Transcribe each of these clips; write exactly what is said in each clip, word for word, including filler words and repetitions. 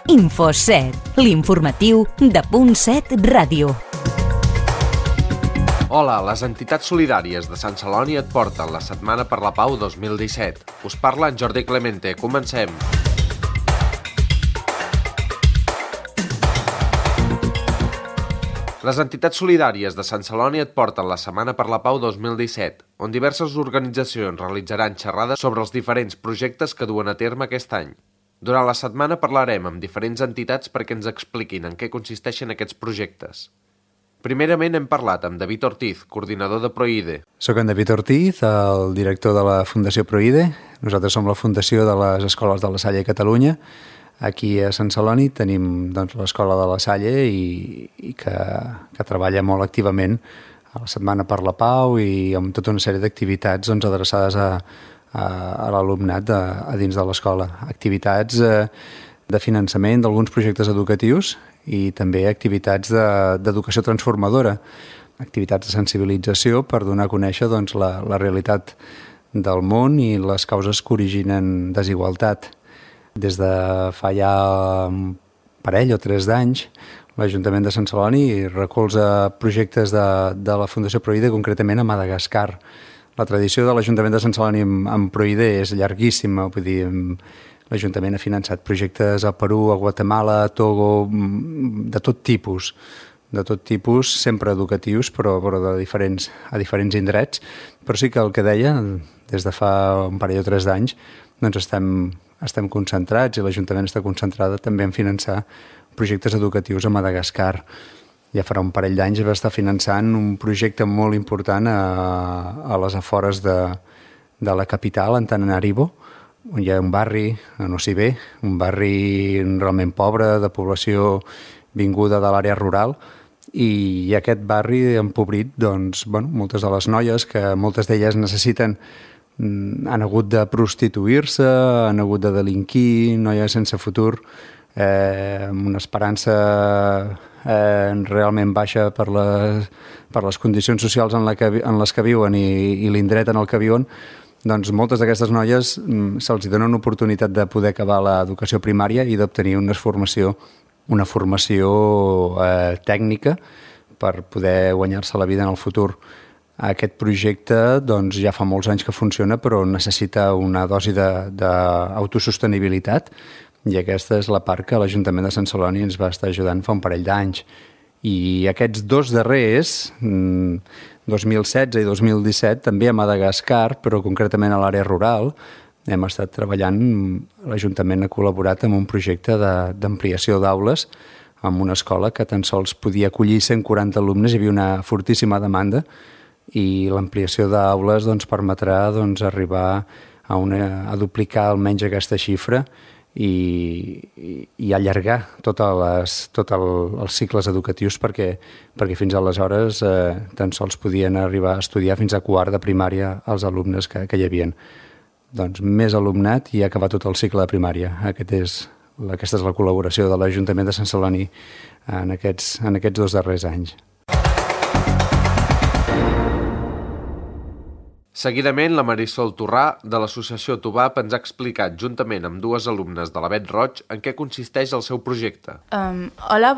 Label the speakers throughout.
Speaker 1: InfoSet, l'informatiu de Punt set Ràdio.
Speaker 2: Hola, les entitats solidàries de Sant Celoni et porten la Setmana per la Pau dos mil disset. Us parla en Jordi Clemente. Comencem. Les entitats solidàries de Sant Celoni et porten la Setmana per la Pau dos mil disset, on diverses organitzacions realitzaran xerrades sobre els diferents projectes que duen a terme aquest any. Durant la setmana parlarem amb diferents entitats perquè ens expliquin en què consisteixen aquests projectes. Primerament hem parlat amb David Ortiz, coordinador de Proide.
Speaker 3: Soc en David Ortiz, el director de la Fundació Proide. Nosaltres som la fundació de les escoles de la Salle a Catalunya. Aquí a Sant Celoni tenim doncs, l'escola de la Salle i, i que, que treballa molt activament a la Setmana per la Pau i amb tota una sèrie d'activitats doncs, adreçades a, a, a l'alumnat a, a dins de l'escola. Activitats eh, de finançament d'alguns projectes educatius i també activitats de, d'educació transformadora, activitats de sensibilització per donar a conèixer doncs, la, la realitat del món i les causes que originen desigualtat. Des de fa ja un parell o tres d'anys, l'Ajuntament de Sant Celoni recolza projectes de, de la Fundació Proide, concretament a Madagascar. La tradició de l'Ajuntament de Sant Celoni amb, amb Proide és llarguíssima, vull dir, l'Ajuntament ha finançat projectes a Perú, a Guatemala, a Togo, de tot tipus, de tot tipus, sempre educatius, però, però de diferents, a diferents indrets. Però sí que el que deia, des de fa un parell o tres d'anys, doncs estem, estem concentrats i l'Ajuntament està concentrada també en finançar projectes educatius a Madagascar. Ja farà un parell d'anys va estar finançant un projecte molt important a, a les afores de, de la capital, Antananarivo, on hi ha un barri, a Nocibé, un barri realment pobre, de població vinguda de l'àrea rural, i aquest barri empobrit, doncs, bueno, moltes de les noies, que moltes d'elles necessiten, han hagut de prostituir-se, han hagut de delinquir, noies sense futur, eh, amb una esperança eh, realment baixa per les, per les condicions socials en, la que, en les que viuen i, i l'indret en el que viuen. Doncs moltes d'aquestes noies se'ls dona una oportunitat de poder acabar l'educació primària i d'obtenir una formació, una formació eh, tècnica per poder guanyar-se la vida en el futur. Aquest projecte doncs, ja fa molts anys que funciona, però necessita una dosi d'autosostenibilitat i aquesta és la part que l'Ajuntament de Sant Celoni ens va estar ajudant fa un parell d'anys. I aquests dos darrers, dos mil setze i dos mil disset, també a Madagascar, però concretament a l'àrea rural, hem estat treballant, l'Ajuntament ha col·laborat amb un projecte de, d'ampliació d'aules en una escola que tan sols podia acollir cent quaranta alumnes, hi havia una fortíssima demanda i l'ampliació d'aules doncs, permetrà doncs, arribar a, una, a duplicar almenys aquesta xifra i, i, i allargar tots tot el, els cicles educatius perquè, perquè fins aleshores eh, tan sols podien arribar a estudiar fins a quart de primària els alumnes que, que hi havia. Doncs més alumnat i acabar tot el cicle de primària. Aquest és, aquesta és la col·laboració de l'Ajuntament de Sant Celoni en aquests, en aquests dos darrers anys.
Speaker 2: Seguidament, la Marisol Torrà, de l'associació Tubap, ens ha explicat, juntament amb dues alumnes de l'Avet Roig, en què consisteix el seu projecte.
Speaker 4: Um, hola,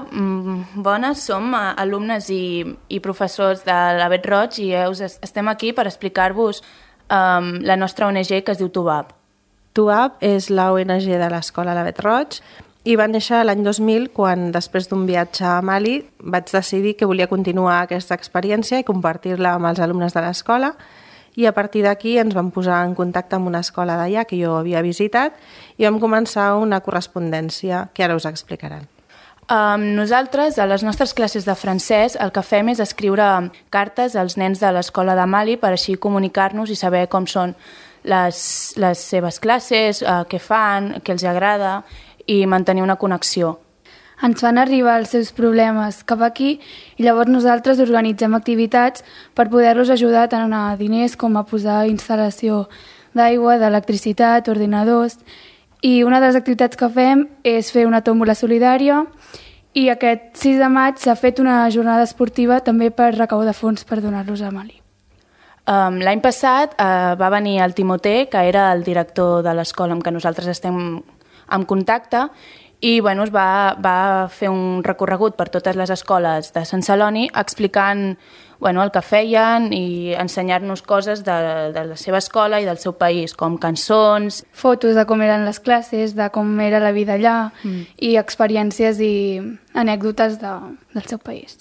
Speaker 4: bones, som alumnes i, i professors de l'Avet Roig i us estem aquí per explicar-vos um, la nostra O N G que es diu Tubap.
Speaker 5: Tubap és la O N G de l'escola l'Avet Roig i va néixer l'any dos mil quan, després d'un viatge a Mali, vaig decidir que volia continuar aquesta experiència i compartir-la amb els alumnes de l'escola. I a partir d'aquí ens vam posar en contacte amb una escola d'allà que jo havia visitat i vam començar una correspondència que ara us explicaran.
Speaker 4: Um, nosaltres, a les nostres classes de francès, el que fem és escriure cartes als nens de l'escola de Mali per així comunicar-nos i saber com són les, les seves classes, uh, què fan, què els agrada i mantenir una connexió.
Speaker 6: Ens fan arribar els seus problemes cap aquí i llavors nosaltres organitzem activitats per poder-los ajudar tant a diners com a posar instal·lació d'aigua, d'electricitat, ordinadors. I una de les activitats que fem és fer una tòmbola solidària i aquest sis de maig s'ha fet una jornada esportiva també per recaudar fons per donar-los a Mali.
Speaker 4: Um, L'any passat uh, va venir el Timoté, que era el director de l'escola amb què nosaltres estem en contacte i bueno, es va, va fer un recorregut per totes les escoles de Sant Celoni explicant bueno, el que feien i ensenyar-nos coses de, de la seva escola i del seu país, com cançons...
Speaker 6: Fotos de com eren les classes, de com era la vida allà mm. i experiències i anècdotes de, del seu país.